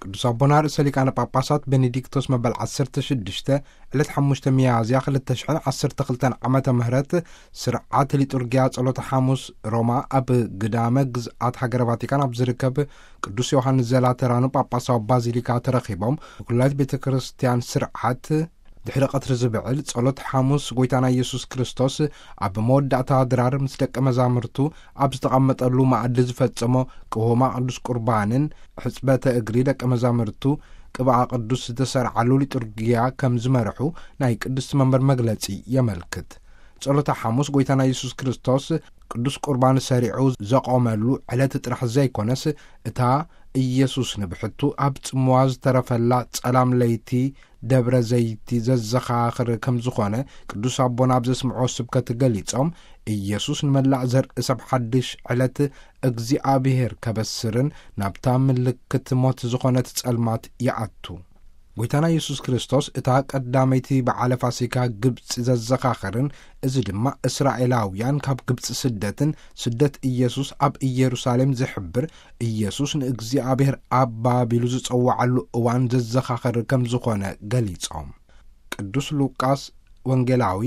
ቅዱስ ኣቦና ርእሰ ሊቃነ ጳጳሳት ቤኔዲክቶስ መበል ዓሰርተ ሽዱሽተ ዕለት ሓሙሽተ ሚያዝያ ክልተ ሽሕን ዓሰርተ ክልተን ዓመተ ምህረት ስርዓት ሊጡርጊያ ጸሎተ ሓሙስ ሮማ ኣብ ግዳመ ግዝኣት ሃገረ ቫቲካን ኣብ ዝርከብ ቅዱስ ዮሃንስ ዘላተራኑ ጳጳሳዊ ባዚሊካ ተረኺቦም፣ ብኩላይት ቤተ ክርስቲያን ስርዓት ድሕሪ ቀትሪ ዝብዕል ጸሎት ሓሙስ ጎይታና ኢየሱስ ክርስቶስ ኣብ መወዳእታ ድራር ምስ ደቀ መዛሙርቱ ኣብ ዝተቐመጠሉ መኣዲ ዝፈጸሞ ቅሆማ ቅዱስ ቁርባንን ሕጽበተ እግሪ ደቀ መዛሙርቱ ቅብኣ ቅዱስ ዝተሰርዓሉ ሊጡርጊያ ከም ዝመርሑ ናይ ቅድስቲ መንበር መግለጺ የመልክት። ጸሎተ ሓሙስ ጎይታና ኢየሱስ ክርስቶስ ቅዱስ ቁርባን ሰሪዑ ዘቖመሉ ዕለት ጥራሕ ዘይኮነስ፣ እታ ኢየሱስ ንብሕቱ ኣብ ጽምዋ ዝተረፈላ ጸላም ለይቲ ደብረ ዘይቲ ዘዘኻኽር ከም ዝኾነ ቅዱስ ኣቦና ኣብ ዘስምዖ ስብከት ገሊጾም፣ ኢየሱስ ንመላእ ዘርኢ ሰብ ሓድሽ ዕለት እግዚኣብሔር ከበስርን ናብታ ምልክት ሞት ዝኾነት ጸልማት ይኣቱ። ጎይታና ኢየሱስ ክርስቶስ እታ ቀዳመይቲ በዓለ ፋሲካ ግብጺ ዘዘኻኽርን፣ እዚ ድማ እስራኤላውያን ካብ ግብጺ ስደትን ስደት ኢየሱስ ኣብ ኢየሩሳሌም ዝሕብር፣ ኢየሱስ ንእግዚኣብሔር ኣባ ቢሉ ዝጸውዓሉ እዋን ዘዘኻኽር ከም ዝኾነ ገሊጾም። ቅዱስ ሉቃስ ወንጌላዊ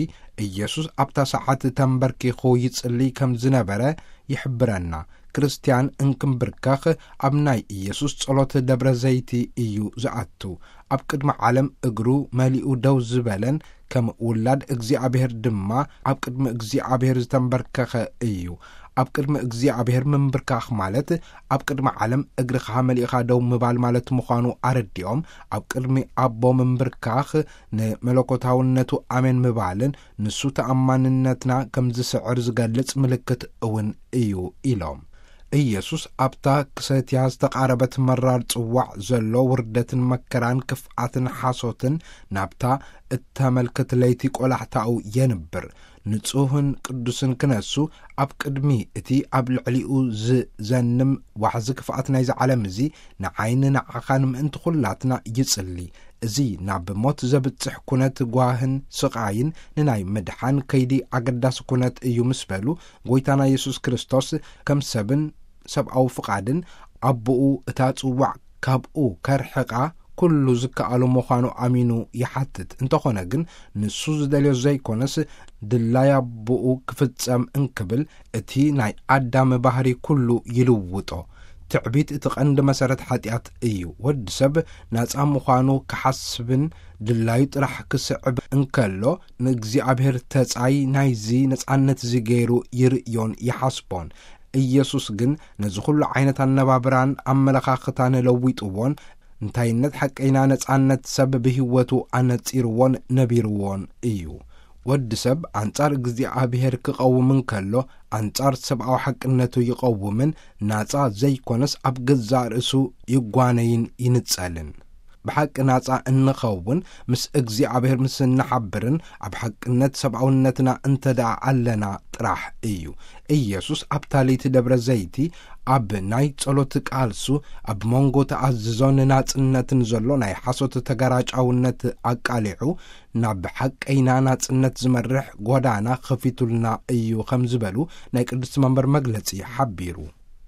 ኢየሱስ ኣብታ ሰዓት ተንበርኪኹ ይጽልይ ከም ዝነበረ ይሕብረና። ክርስትያን እንክምብርከኽ ኣብ ናይ ኢየሱስ ጸሎት ደብረ ዘይቲ እዩ ዝኣቱ። ኣብ ቅድሚ ዓለም እግሩ መሊኡ ደው ዝበለን ከም ውላድ እግዚኣብሔር ድማ ኣብ ቅድሚ እግዚኣብሔር ዝተንበርከኸ እዩ። ኣብ ቅድሚ እግዚኣብሔር ምንብርካኽ ማለት ኣብ ቅድሚ ዓለም እግርኻ መሊእኻ ደው ምባል ማለት ምዃኑ ኣረዲኦም፣ ኣብ ቅድሚ ኣቦ ምንብርካኽ ንመለኮታውነቱ ኣሜን ምባልን ንሱ ተኣማንነትና ከም ዝስዕር ዝገልጽ ምልክት እውን እዩ ኢሎም። ኢየሱስ ኣብታ ክሰትያ ዝተቓረበት መራር ጽዋዕ ዘሎ ውርደትን መከራን ክፍኣትን ሓሶትን ናብታ እተመልክት ለይቲ ቆላሕታኡ የንብር። ንጹህን ቅዱስን ክነሱ ኣብ ቅድሚ እቲ ኣብ ልዕሊኡ ዝዘንም ዋሕዚ ክፍኣት ናይዚ ዓለም እዚ ንዓይን ንዓኻን ምእንቲ ኹላትና ይጽሊ። እዚ ናብ ሞት ዘብጽሕ ኩነት ጓህን ስቓይን ንናይ ምድሓን ከይዲ ኣገዳሲ ኩነት እዩ ምስ በሉ፣ ጎይታና የሱስ ክርስቶስ ከም ሰብን ሰብኣዊ ፍቓድን ኣቦኡ እታ ጽዋዕ ካብኡ ከርሕቓ ኩሉ ዝከኣሎ ምዃኑ ኣሚኑ ይሓትት። እንተኾነ ግን ንሱ ዝደልዮ ዘይኮነስ ድላይ ኣቦኡ ክፍጸም እንክብል እቲ ናይ ኣዳም ባህሪ ኩሉ ይልውጦ። ትዕቢት እቲ ቀንዲ መሰረት ሓጢኣት እዩ። ወዲ ሰብ ናጻ ምዃኑ ክሓስብን ድላዩ ጥራሕ ክስዕብ እንከሎ፣ ንእግዚኣብሔር ተጻይ ናይዚ ነጻነት እዚ ገይሩ ይርእዮን ይሓስቦን። ኢየሱስ ግን ነዚ ኩሉ ዓይነት ኣነባብራን ኣመለኻኽታን ለዊጥዎን፣ እንታይነት ሓቀይና ነጻነት ሰብ ብህይወቱ ኣነጺርዎን ነቢርዎን እዩ። ወዲ ሰብ ኣንጻር እግዚኣብሔር ክቐውም እንከሎ፣ ኣንጻር ሰብኣዊ ሓቅነቱ ይቐውምን ናጻ ዘይኮነስ ኣብ ገዛእ ርእሱ ይጓነይን ይንጸልን። ብሓቂ ናጻ እንኸውን ምስ እግዚኣብሔር ምስ እንሓብርን ኣብ ሓቅነት ሰብኣውነትና እንተ ደኣ ኣለና ጥራሕ እዩ። ኢየሱስ ኣብታ ለይቲ ደብረ ዘይቲ ኣብ ናይ ጸሎት ቃልሱ ኣብ መንጎ ተኣዝዞ ንናጽነትን ዘሎ ናይ ሓሶት ተጋራጫውነት ኣቃሊዑ ናብ ሓቀይና ናጽነት ዝመርሕ ጎዳና ኸፊቱልና እዩ ከም ዝበሉ ናይ ቅድስቲ መንበር መግለጺ ሓቢሩ።